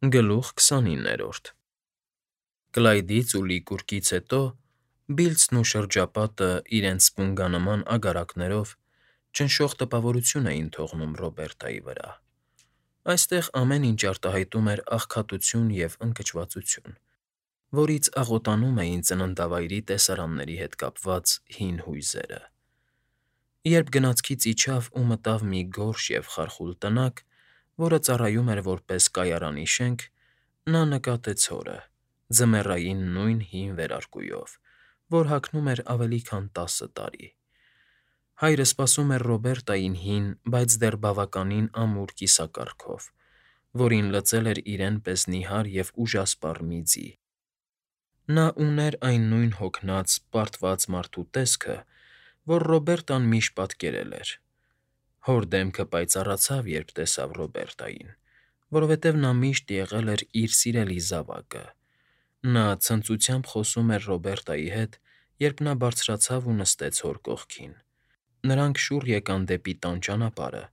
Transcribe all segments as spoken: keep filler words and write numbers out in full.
Գլուխ քսանիններորդ Կլայդից ու Լիկուրկից հետո Բիլձն ու շրջապատը իրենց սպունգանման ագարակներով ճնշող տպավորություն էին թողնում Ռոբերտայի վրա. այստեղ ամեն ինչ արտահայտում էր աղքատություն և ընկճվածություն, որից աղոտանում էին ծննդավայրի տեսարանների հետ կապված հին հույզերը։ Երբ գնացքից իջավ ու մտավ մի գորշ և խարխուլ տնակ, որը ծառայում էր որպես կայարանի շենք, նա նկատեց հորը՝ ձմեռային նույն հին վերարկուով, որ հագնում էր ավելի քան տասը տարի։ Հայրը սպասում էր Ռոբերտային հին, բայց դեռ բավականին ամուր կիսակառքով, որին լծել էր իրեն պես նիհար և ուժասպառ մի ձի։ Նա ուներ այն նույն հոգնած, պարտված մարդու տեսքը, որ Ռոբերտան միշտ պատկերել էր։ Հոր դեմքը պայծառացավ, երբ տեսավ Ռոբերտային, որովհետև նա միշտ եղել էր իր սիրելի զավակը։ Նա ցնծությամբ խոսում էր Ռոբերտայի հետ, երբ նա բարձրացավ ու նստեց հոր կողքին։ Նրանք շուռ եկան դեպի տան ճանապարհը՝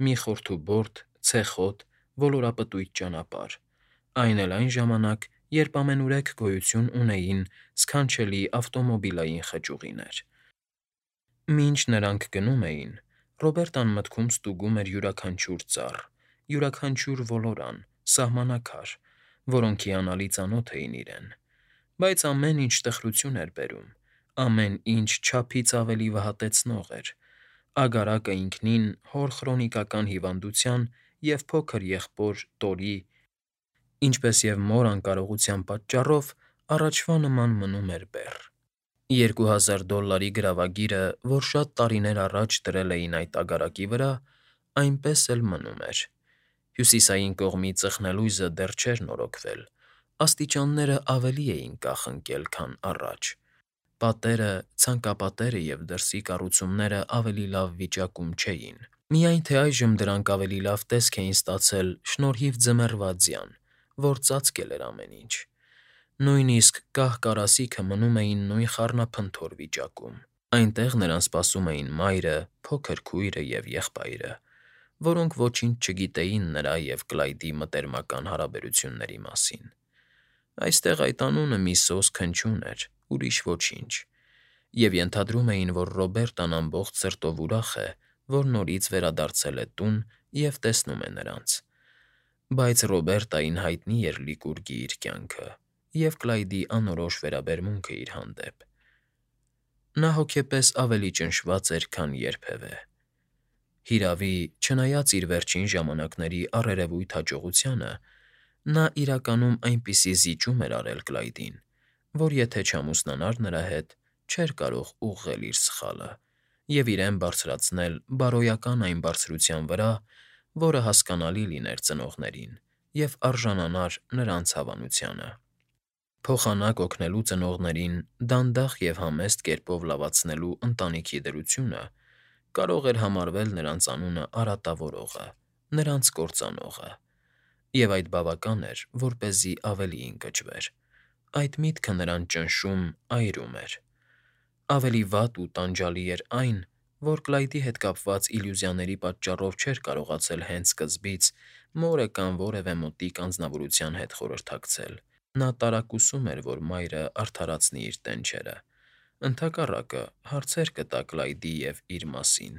մի խորթուբորդ, ցեխոտ, ոլորապտույտ ճանապարհ, այն էլ այն ժամանակ, երբ ամենուրեք գոյություն ունեին սքանչելի ավտոմոբիլային խճուղիներ։ Մինչ նրանք գնում էին, Ռոբերտան մտքում ստուգում էր յուրաքանչյուր ծառ, յուրաքանչյուր ոլորան, սահմանակար, որոնք հիանալի ծանոթ էին իրեն, բայց ամեն ինչ տխրություն էր բերում, ամեն ինչ չափից ավելի վհատեցնող էր, ագարակը ինքնին հոր քրոնիկական հիվանդության և փոքր եղբոր Տորի, ինչպես և մոր անկարողության պատճառով առաջվա նման մնում էր բեռ։ Երկու հազար դոլարի գրավագիրը, որ շատ տարիներ առաջ դրել էին այդ ագարակի վրա, այնպես էլ մնում էր։ Հյուսիսային կողմի ծխնելույզը դեռ չէր նորոգվել, աստիճաններն ավելի էին կախ ընկել, քան առաջ, պատերը, ցանկապատերը և դրսի կառուցումներն ավելի լավ վիճակում չէին, միայն թե այժմ դրանք ավելի լավ տեսք էին ստացել շնորհիվ ձմեռվա ձյան, որ ծածկել էր ամեն ինչ։ Նույնիսկ կահ֊կարասիքը մնում էին նույն խառնափնթոր վիճակում։ Այնտեղ նրան սպասում էին մայրը, փոքր քույրը և եղբայրը, որոնք ոչինչ չգիտեին նրա և Կլայդի մտերմական հարաբերությունների մասին։ Այստեղ այդ անունը մի սոսկ հնչյուն էր, ուրիշ ոչինչ, և ենթադրում էին, որ Ռոբերտան ամբողջ սրտով ուրախ է, որ նորից վերադարձել է տուն և տեսնում է նրանց։ Բայց Ռոբերտային հայտնի էր Լիկուրգի իր կյանքը և Կլայդի անորոշ վերաբերմունքը իր հանդեպ։ Նա հոգեպես ավելի ճնշված էր, քան երբևէ։ Հիրավի, չնայած իր վերջին ժամանակների առերևույթ հաջողությանը, նա իրականում այնպիսի զիջում էր արել Կլայդին, որ եթե չամուսնանար նրա հետ, չէր կարող ուղղել իր սխալը և իրեն բարձրացնել բարոյական այն բարձրության վրա, որը հասկանալի լիներ ծնողներին և արժանանար նրանց հավանությանը։ Փոխանակ օգնելու ծնողներին դանդաղ և համեստ կերպով լավացնելու ընտանիքի դրությունը կարող էր համարվել նրանց անունը արատավորողը, նրանց կործանողը, և այդ բավական էր, որպեսզի ավելի ընկճվեր։ Այդ միտքը նրան ճնշում, այրում էր։ Ավելի վատ ու տանջալի էր այն, որ Կլայդի հետ կապված իլյուզիաների պատճառով չէր կարողացել հենց սկզբից մորը կամ որևէ մոտիկ անձնավորության հետ խորհրդակցել։ Նա տարակուսում էր, որ մայրը արդարացնի իր տենչերը, ընդհակառակը, հարցեր կտա Կլայդի և իր մասին,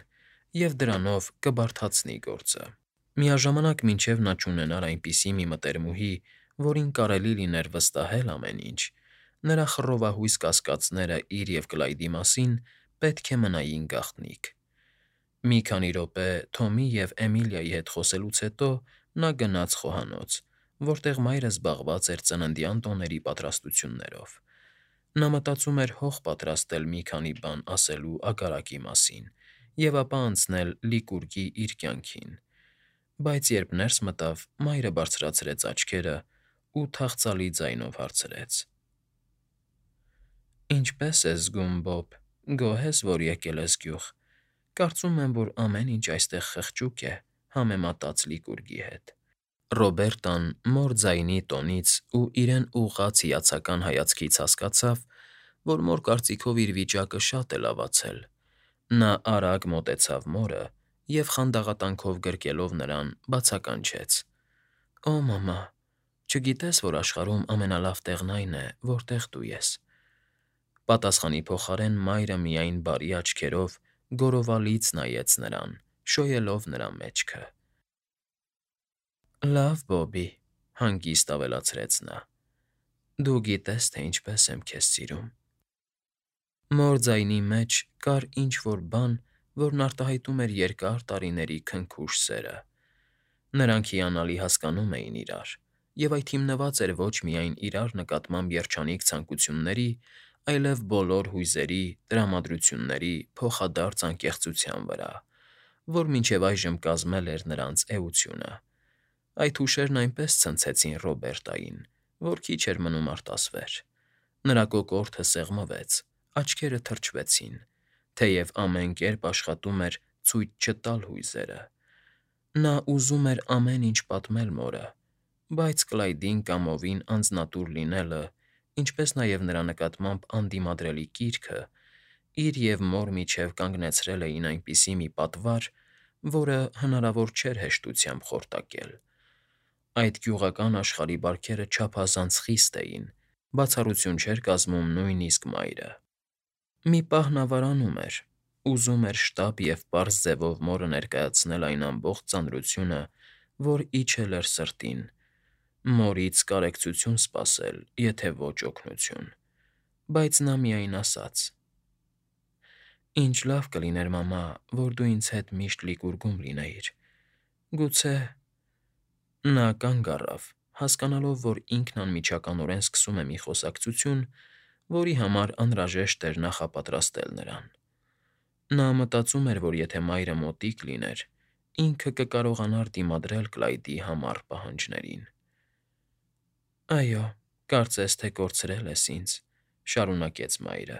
և դրանով կբարդացնի գործը։ Միաժամանակ, մինչև նա չունենար այնպիսի մի մտերմուհի, որին կարելի լիներ վստահել ամեն ինչ, նրա խռովահույս կասկածները իր և Կլայդի մասին պետք է մնային գաղտնիք։ Մի քանի րոպե Թոմի և Էմիլիայի հետ խոսելուց հետո նա գնաց խոհանոց, որտեղ մայրը զբաղված էր ծննդյան տոների պատրաստություններով։ Նա մտածում էր հող պատրաստել մի քանի բան ասելու ագարակի մասին և ապա անցնել Լիկուրգի իր կյանքին, բայց երբ ներս մտավ, մայրը բարձրացրեց աչքերն ու թախծալի ձայնով հարցրեց. ֊ Ինչպե՞ս ես զգում, Բոբ, գոհ ե՞ս, որ եկել ես գյուղ։ Կարծում եմ, որ ամեն ինչ այստեղ խղճուկ է, համեմատած Լիկուրգի հետ։ Ռոբերտան մոր ձայնի տոնից ու իրեն ուղղած հիացական հայացքից հասկացավ, որ մոր կարծիքով իր վիճակը շատ է լավացել։ Նա արագ մոտեցավ մորը և խանդաղատանքով գրկելով նրան, բացականչեց. ֊ Օ՜, մամա, Չգիտես, որ աշխարհում ամենալավ տեղն այն է, որտեղ դու ես։ Պատասխանի փոխարեն մայրը միայն բարի աչքերով գորովալից նայեց նրան, շոյելով նրա մեջքը։ Լավ, Բոբի, հանգիստ ավելացրեց նա, դու գիտես, թե ինչպես եմ քեզ սիրում։ Մոր ձայնի մեջ կար ինչ֊որ բան, որն արտահայտում էր երկար տարիների քնքուշ սերը։ Նրանք հիանալի հասկանում էին իրար, և այդ հիմնված էր ոչ միայն իրար նկատմամբ երջանիկ ցանկությունների, այլև բոլոր հույզերի, տրամադրությունների փոխադարձ անկեղծության վրա, որ մինչև այժմ կազմել էր նրանց էությունը։ Այդ հուշերն այնպես ցնցեցին Ռոբերտային, որ քիչ էր մնում արտասվեր։ Նրա կոկորդը սեղմվեց, աչքերը թրջվեցին, թեև ամեն կերպ աշխատում էր ցույց չտալ հույզերը։ Նա ուզում էր ամեն ինչ պատմել մորը, բայց Կլայդին կամովին անձնատուր լինելը, ինչպես նաև նրա նկատմամբ անդիմադրելի կիրքը իր և մոր միջև կանգնեցրել էին այնպիսի մի պատվար, որը հնարավոր չէր հեշտությամբ խորտակել։ Այդ գյուղական աշխարհի բարքերը չափազանց խիստ էին, բացառություն չէր կազմում նույնիսկ մայրը։ Մի պահ նա վարանում էր, ուզում էր շտապ և պարզ ձևով մորը ներկայացնել այն ամբողջ ծանրությունը, որ իջել էր սրտին, մորից կարեկցություն սպասել, եթե ոչ օգնություն, բայց նա միայն ասաց. «Ինչ լավ կլիներ, մամա, որ դու ինձ հետ միշտ լիկուռգում լինեիր, գուցե…»։ Նա կանգ առավ, հասկանալով, որ ինքն անմիջականորեն սկսում է մի խոսակցություն, որի համար անհրաժեշտ էր նախապատրաստել նրան։ Նա մտածում էր, որ եթե մայրը մոտիկ լիներ, ինքը կկարողանար դիմադրել Կլայդի համառ պահանջներին։ «Այո, կարծես թե կորցրել ես ինձ,֊ շարունակեց մայրը,֊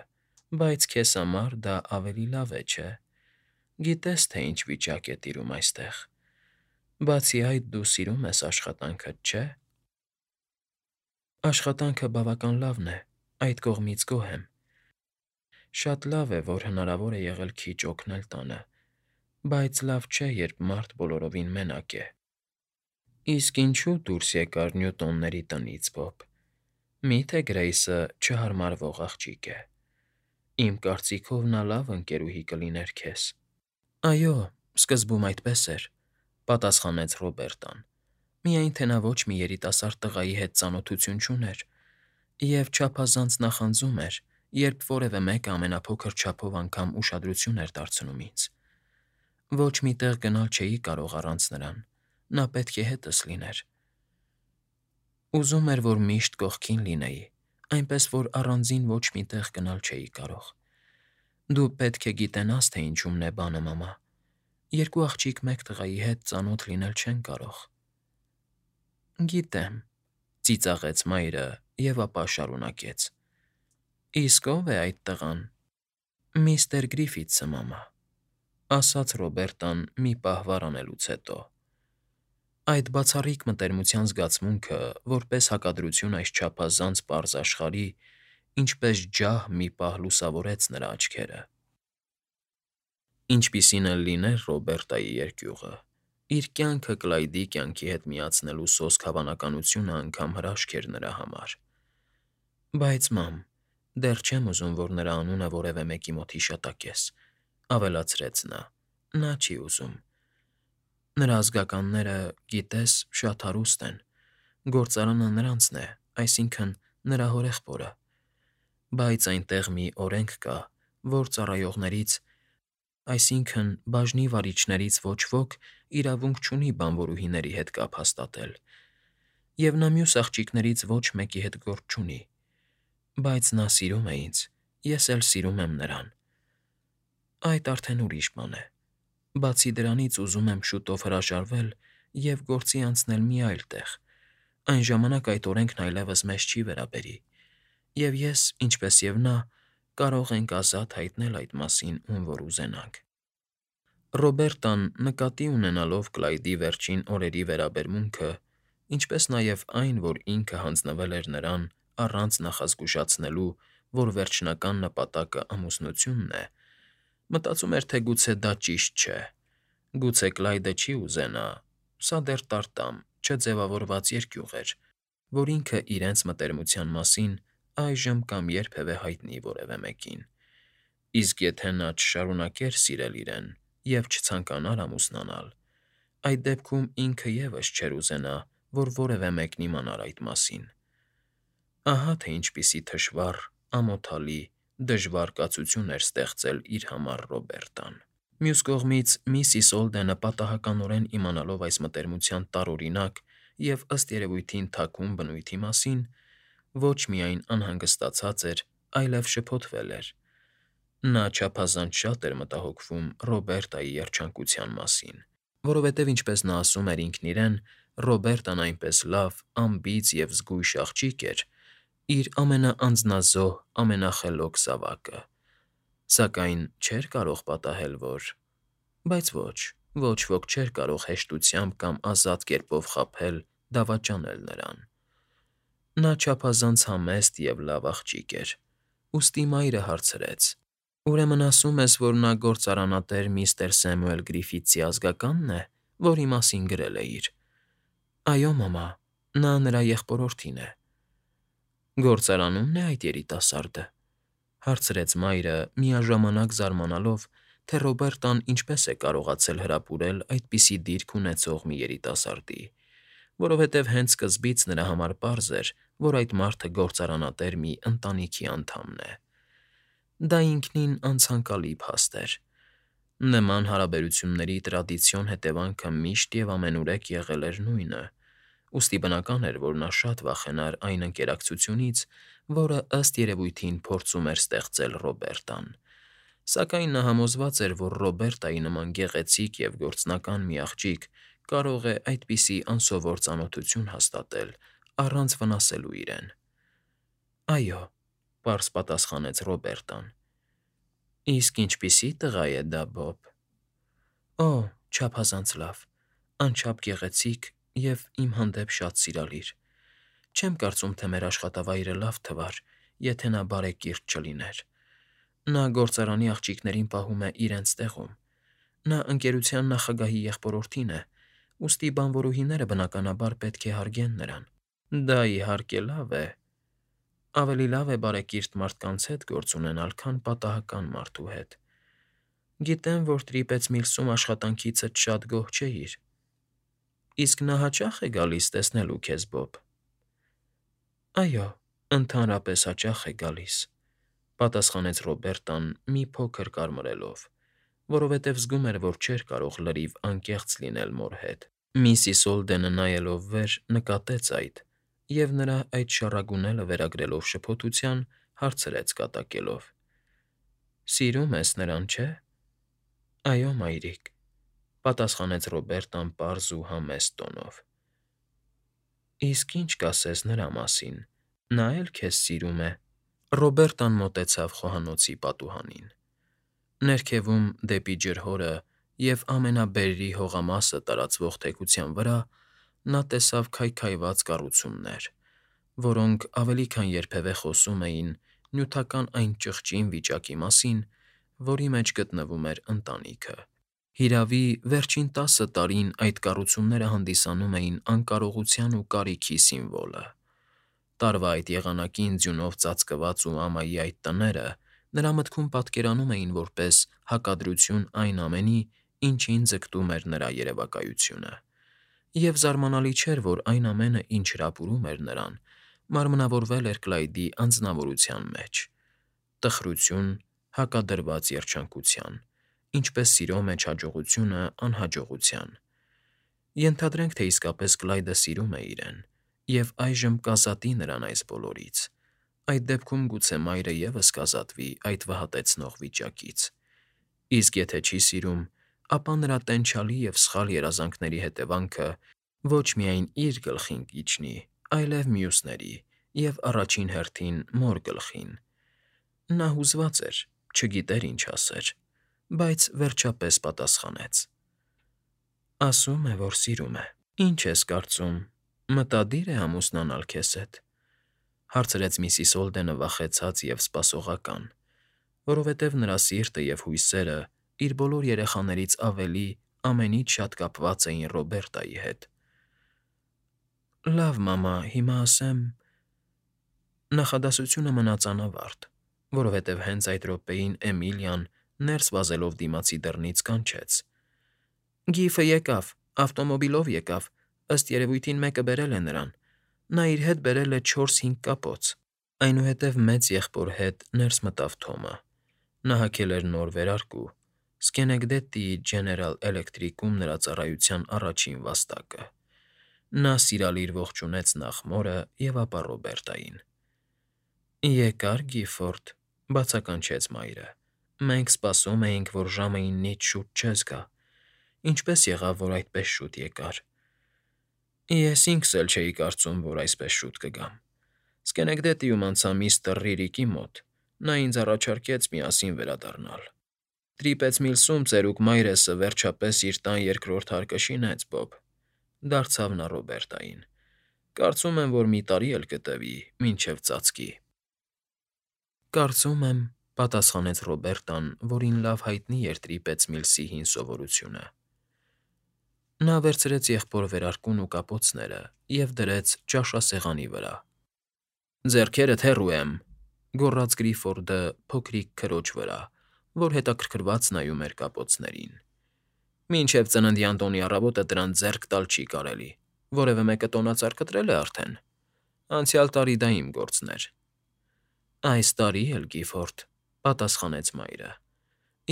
բայց քեզ համար դա ավելի լավ է, չէ՞։ Գիտես, թե ինչ վիճակ է տիրում այստեղ։ Բացի այդ, դու սիրում ես աշխատանքդ, չէ՞։ Աշխատանքը բավական լավն է, այդ կողմից գոհ եմ։ Շատ լավ է, որ հնարավոր է եղել քիչ օգնել տանը, բայց լավ չէ, երբ մարդ բոլորովին մենակ է։ Իսկ ինչու՞ դուրս եկար Նյուտոնների տնից, Բոբ։ Մի՞թե Գրեյսը չհարմարվող աղջիկ է։ Իմ կարծիքով նա լավ ընկերուհի կլիներ քեզ։ Այո, սկզբում այդպես էր,֊ պատասխանեց Ռոբերտան, միայն թե նա ոչ մի երիտասարդ տղայի հետ ծանոթություն չուներ և չափազանց նախանձում էր, երբ որևէ մեկը ամենափոքր չափով անգամ ուշադրություն էր դարձնում ինձ։ Ոչ մի տեղ գնալ չէի կարող առանց նրան, նա պետք է հետս լիներ։ Ուզում էր, որ միշտ կողքին լինեի, այնպես որ առանձին ոչ մի տեղ գնալ չէի կարող։ Դու պետք է գիտենաս, թե ինչումն է բանը, մամա։ Երկու աղջիկ մեկ տղայի հետ ծանոթ լինել չեն կարող։ Գիտեմ,֊ ծիծաղեց մայրը և ապա շարունակեց. Իսկ ո՞վ է այդ տղան։ Միստր Գրիֆիթսը, մամա,֊ ասաց Ռոբերտան մի պահ վառանելուց հետո։ Այդ բացառիկ մտերմության զգացմունքը, որպես հակադրություն այս չափազանց պարզ աշխարհի, ինչպես ջահ մի պահ լուսավորեց նրա աչքերը։ Ինչպիսին էլ լիներ Ռոբերտայի երկյուղը, իր կյանքը Կլայդի կյանքի հետ միացնելու սոսկ հավանականությունը անգամ հրաշք էր նրա համար։ Բայց, մամ, դեռ չեմ ուզում, որ նրա անունը որևէ մեկի մոտ հիշատակես,֊ ավելացրեց նա,֊ նա չի ուզում։ Նրա ազգականները, գիտես, շատ հարուստ են, գործարանը նրանցն է, այսինքն՝ նրա հորեղբորը։ Բայց այնտեղ մի օրենք կա, որ ծառայողներից, այսինքն՝ բաժնի վարիչներից ոչ ոք իրավունք չունի բանվորուհիների հետ կապ հաստատել, և նա մյուս աղջիկներից ոչ մեկի հետ գործ չունի։ Բայց նա սիրում է ինձ, ես էլ սիրում եմ նրան։ Այդ արդեն ուրիշ բան է։ Բացի դրանից ուզում եմ շուտով հրաժարվել և գործի անցնել մի այլ տեղ, այն ժամանակ այդ օրենքն այլևս մեզ չի վերաբերի, և ես, ինչպես և նա, կարող ենք ազատ հայտնել այդ մասին, ում որ ուզենանք։ Ռոբերտան, նկատի ունենալով Կլայդի վերջին օրերի վերաբերմունքը, ինչպես նաև այն, որ ինքը հանձնվել էր նրան առանց նախազգուշացնելու, որ վերջնական նպատակը ամուսնությունն է, մտածում էր, թե գուցե դա ճիշտ չէ, գուցե Կլայդը չի ուզենա, սա դեռ տարտամ, չձևավորված երկյուղ էր, որ ինքը իրենց մտերմության մասին այժմ կամ երբևէ հայտնի որևէ մեկին, իսկ եթե նա չշարունակեր սիրել իրեն և չցանկանար ամուսնանալ, այդ դեպքում ինքը ևս չէր ուզենա, որ որևէ մեկն իմանար այդ մասին։ Ահա թե ինչպիսի թշվառ, ամոթալի, դժվար կացություն էր ստեղծել իր համար Ռոբերտան։ Մյուս կողմից, միսիս Օլդենը պատահականորեն իմանալով այս մտերմության տարօրինակ և ըստ երևույթին թաքուն բնույթի մասին, ոչ միայն անհանգստացած էր, այլև շփոթվել էր։ Նա չափազանց շատ էր մտահոգվում Ռոբերտայի երջանկության մասին, որովհետև, ինչպես նա ասում էր ինքն իրեն, Ռոբերտան այնպես լավ, անբիծ և զգույշ աղջիկ էր, իր ամենաանձնազոհ, ամենախելոք զավակը, սակայն չէր կարող պատահել, որ… Բայց ոչ, ոչ ոք չէր կարող հեշտությամբ կամ ազատ կերպով խաբել, դավաճանել նրան։ Նա չափազանց համեստ և լավ աղջիկ էր, ուստի մայրը հարցրեց. «Ուրեմն ասում ես, որ նա գործարանատեր միստր Սեմուել Գրիֆիթսի ազգակա՞նն է, որի մասին գրել էիր»։ ֊ Այո, մամա, նա նրա եղբորորդին է։ ֊ Գործարանո՞ւմն է այդ երիտասարդը,֊ հարցրեց մայրը, միաժամանակ զարմանալով, թե Ռոբերտան ինչպես է կարողացել հրապուրել այդպիսի դիրք ունեցող մի երիտասարդի, որովհետև հենց սկզբից նրա համար պարզ էր, որ այդ մարդը գործարանատեր մի ընտանիքի անդամն է։ Դա ինքնին անցանկալի փաստ էր։ Նման հարաբերությունների տրադիցիոն հետևանքը միշտ և ամենուրեք եղել էր նույնը, ուստի բնական էր, որ նա շատ վախենար այն ընկերակցությունից, որը, ըստ երևույթին, փորձում էր ստեղծել Ռոբերտան, սակայն նա համոզված էր, որ Ռոբերտայի նման գեղեցիկ և գործնական մի աղջիկ կարող է այդպիսի անսովոր ծանոթություն հաստատել առանց վնասելու իրեն։ ֊ Այո,֊ պարզ պատասխանեց Ռոբերտան։ ֊ Իսկ ինչպիսի՞ տղա է դա, Բոբ։ ֊ Օ՜, չափազանց լավ, անչափ գեղեցիկ և իմ հանդեպ շատ սիրալիր։ Չեմ կարծում, թե մեր աշխատավայրը լավ թվար, եթե նա բարեկիրթ չլիներ։ Նա գործարանի աղջիկներին պահում է իրենց տեղում։ Նա ընկերության նախագահի եղբորորդին է, ուստի բանվորուհիները, բնականաբար, պետք է հարգեն նրան։ Դա, իհարկե, լավ է… Ավելի լավ է բարեկիրթ մարդկանց հետ գործ ունենալ, քան պատահական մարդու հետ։ Գիտեմ, որ Տրիպեծ Միլսում աշխատանքիցդ շատ գոհ չէիր։ Իսկ նա հաճա՞խ է գալիս տեսնելու քեզ, Բոբ։ ֊ Այո, ընդհանրապես հաճախ է գալիս,֊ պատասխանեց Ռոբերտան մի փոքր կարմրելով, որովհետև զգում էր, որ չէր կարող լրիվ անկեղծ լինել մոր հետ։ Միսիս Օլդենը, նայելով վեր, նկատեց այդ և, նրա այդ շառագունելը վերագրելով շփոթության, հարցրեց կատակելով. ֊ Սիրում ես նրան, չէ՞։ ֊ Այո, մայրիկ,֊ պատասխանեց Ռոբերտան պարզ ու համեստ տոնով։ ֊ Իսկ ի՞նչ կասես նրա մասին, նա է՞լ քեզ սիրում է։ Ռոբերտան մոտեցավ խոհանոցի պատուհանին։ Ներքևում, դեպի ջրհորը և ամենաբերրի հողամասը տարածվող թեքության վրա նա տեսավ քայքայված կառուցումներ, որոնք ավելի քան երբևէ խոսում էին նյութական այն ճղճին վիճակի մասին, որի մեջ գտնվում էր ընտանիքը։ Հիրավի, վերջին տասը տարին այդ կառուցումները հանդիսանում էին անկարողության ու կարիքի սիմվոլը։ Տարվա այդ եղանակին ձյունով ծածկված ու ամայի այդ տները նրա մտքում պատկերանում էին որպես հակադրություն այն ամենի, ինչին ձգտում էր նրա երևակայությունը։ Եվ զարմանալի չէր, որ այն ամենը, ինչ հրապուրում էր նրան, մարմնավորվել էր Կլայդի անձնավորության մեջ. տխրություն՝ հակադրված երջանկության, ինչպես սիրո մեջ հաջողությունը անհաջողության։ Ենթադրենք, թե իսկապես Կլայդը սիրում է իրեն և այժմ կազատի նրան այս բոլորից, այդ դեպքում գուցե մայրը ևս կազատվի այդ վհատեցնող վիճակից։ Իսկ եթե չի սիրում, ապա նրա տենչալի և սխալ երազանքների հետևանքը ոչ միայն իր գլխին կիջնի, այլև մյուսների և, առաջին հերթին, մոր գլխին։ Նա հուզված էր, չգիտեր ինչ ասեր, բայց վերջապես պատասխանեց. ֊ Ասում է, որ սիրում է։ Ինչ ես կարծում, մտադի՞ր է ամուսնանալ քեզ հետ,֊ հարցրեց միսիս Օլդենը վախեցած և սպասողական, որովհետև նրա սիրտը և հույսերը իր բոլոր երեխաներից ավելի ամենից շատ կապված էին Ռոբերտայի հետ։ Լավ, մամա, հիմա ասեմ… Նախադասությունը մնաց անավարտ, որովհետև հենց այդ րոպեին Էմիլիան, ներս վազելով դիմացի դռնից, կանչեց. ֊ Գիֆը եկավ, ավտոմոբիլով եկավ, ըստ երևույթին մեկը բերել է նրան, նա իր հետ բերել է չորս֊հինգ կապոց… Այնուհետև մեծ եղբոր հետ ներս մտավ Թոմը. նա հագել էր նոր վերարկու, Սքենեկդեթի Ջեներալ Էլեկտրիկում նրա ծառայության առաջին վաստակը… Նա սիրալիր ողջունեց նախ մորը և ապա Ռոբերտային։ ֊ Եկա՞ր, Գիֆորդ,֊ բացականչեց մայրը։֊ Մենք սպասում էինք, որ ժամը իննից շուտ չես գա… Ինչպե՞ս եղավ, որ այդպես շուտ եկար։ ֊ Ես ինքս էլ չէի կարծում, որ այսպես շուտ կգամ… Սքենեկդեթիում անցա միստր Ռիրիկի մոտ, նա ինձ առաջարկեց միասին վերադառնալ… Տրիպեծ Միլսում ծերուկ մայրեսը վերջապես իր տան երկրորդ հարկը շինեց, Բոբ,֊ դարձավ նա Ռոբերտային։֊ Կարծում եմ, որ մի տարի էլ կտևի, մինչև ծածկի։ ֊ Կարծում եմ,֊ պատասխանեց Ռոբերտան, որին լավ հայտնի էր Տրիպեծ Միլսի հին սովորությունը։ Նա վերցրեց եղբոր վերարկուն ու կապոցները և դրեց ճաշասեղանի վրա։ ֊ Ձեռքերդ հեռու եմ,֊ գոռաց Գրիֆորդը փոքրիկ քրոջ վրա, որ հետաքրքրված նայում էր կապոցներին։֊ Մինչև ծննդյան տոնի առավոտը դրանց ձեռք տալ չի կարելի, որևէ մեկը տոնածառ կտրել է արդեն… Անցյալ տարի դա իմ գործն էր։ ֊ Այս տարի էլ, Գիֆորդ,֊ պատասխանեց մայրը։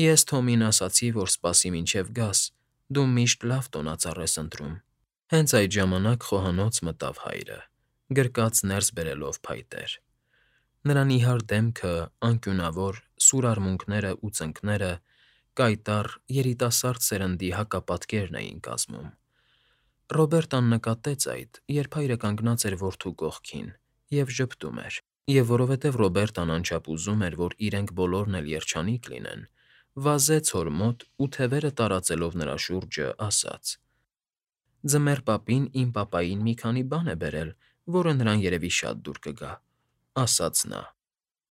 Ես Թոմին ասացի, որ սպասի մինչև գաս, դու միշտ լավ տոնածառ ես ընտրում։ Հենց այդ ժամանակ խոհանոց մտավ հայրը, գրկած ներս բերելով փայտեր։ Նրա նիհար դեմքը, անկյունավոր, սուր արմունկներն ու ծնկները կայտառ, երիտասարդ սերնդի հակապատկերն էին կազմում։ Ռոբերտան նկատեց այդ, երբ հայրը կանգնած էր որդու կողքին և ժպտում էր, և որովհետև Ռոբերտան անչափ ուզում էր, որ իրենք բոլորն էլ երջանիկ լինեն, վազեց հոր մոտ ու, թևերը տարածելով նրա շուրջը, ասաց. «Ձմեռ պապին իմ պապային մի քանի բան է բերել, որը նրան երևի շատ դուր կգա»,֊ ասաց նա։